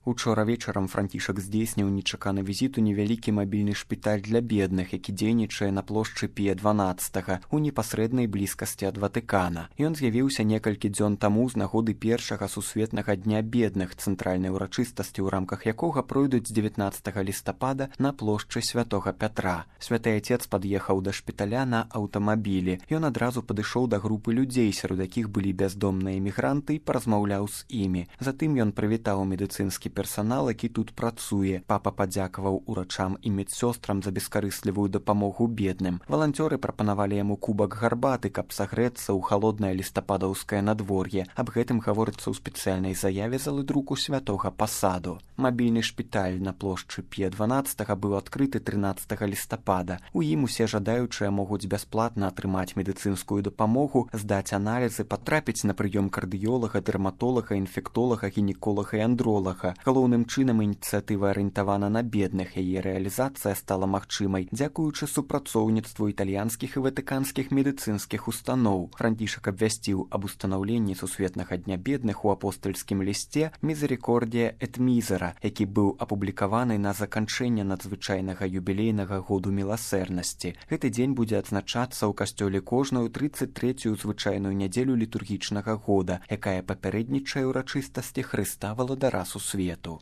Учора вечарам Францішак здзейсніў нечаканы візіт у невялікі мабільны шпіталь для бедных, які дзейнічае на плошчы Пія XII у непасрэднай блізкасці ад Ватыкана. Ён з'явіўся некалькі дзён таму з нагоды першага сусветнага дня бедных, цэнтральнай урачыстасці, у рамках якога пройдуць з 19 лістапада на плошчы Святога Пятра. Святы Ацец пад'ехаў да шпіталя на аўтамабілі. Ён адразу падышоў да групы людзей, сярод якіх былі бяздомныя эмігранты, і паразмаўляў з імі. Затым ён прывітаў медыцынскі персанал, які тут працуе. Папа падзякаваў урачам і медсёстрам за бескарыслівую дапамогу бедным. Валанцёры прапанавалі яму кубак гарбаты, каб сагрэцца ў халоднае лістападаўскае надвор'е. Аб гэтым гаворыцца ў спецыяльнай заяве залы друку Святога Пасаду. Мабільны шпіталь на плошчы Пія XII быў адкрыты 13 лістапада. У ім усе жадаючыя могуць бясплатна атрымаць медыцынскую дапамогу, здаць аналізы, патрапіць на прыём кардыёлага, дэрматолага, інфектолага, гінеколага і андролага. Галоўным чынам ініцыятыва арыентавана на бедных. Яе рэалізацыя стала магчымай дзякуючы супрацоўніцтву італьянскіх і ватыканскіх медыцынскіх устаноў. Францішак абвясціў аб устанаўленні сусветнага дня бедных у апостальскім лісце «Мізерікордія эт мізера», які быў апублікаваны на заканчэнне надзвычайнага юбілейнага году міласэрнасці. Гэты дзень будзе адзначацца ў касцёле кожную 33-ю звычайную нядзелю літургічнага года, якая папярэднічае ўрачыстасці Хрыста Валадара Сусвету.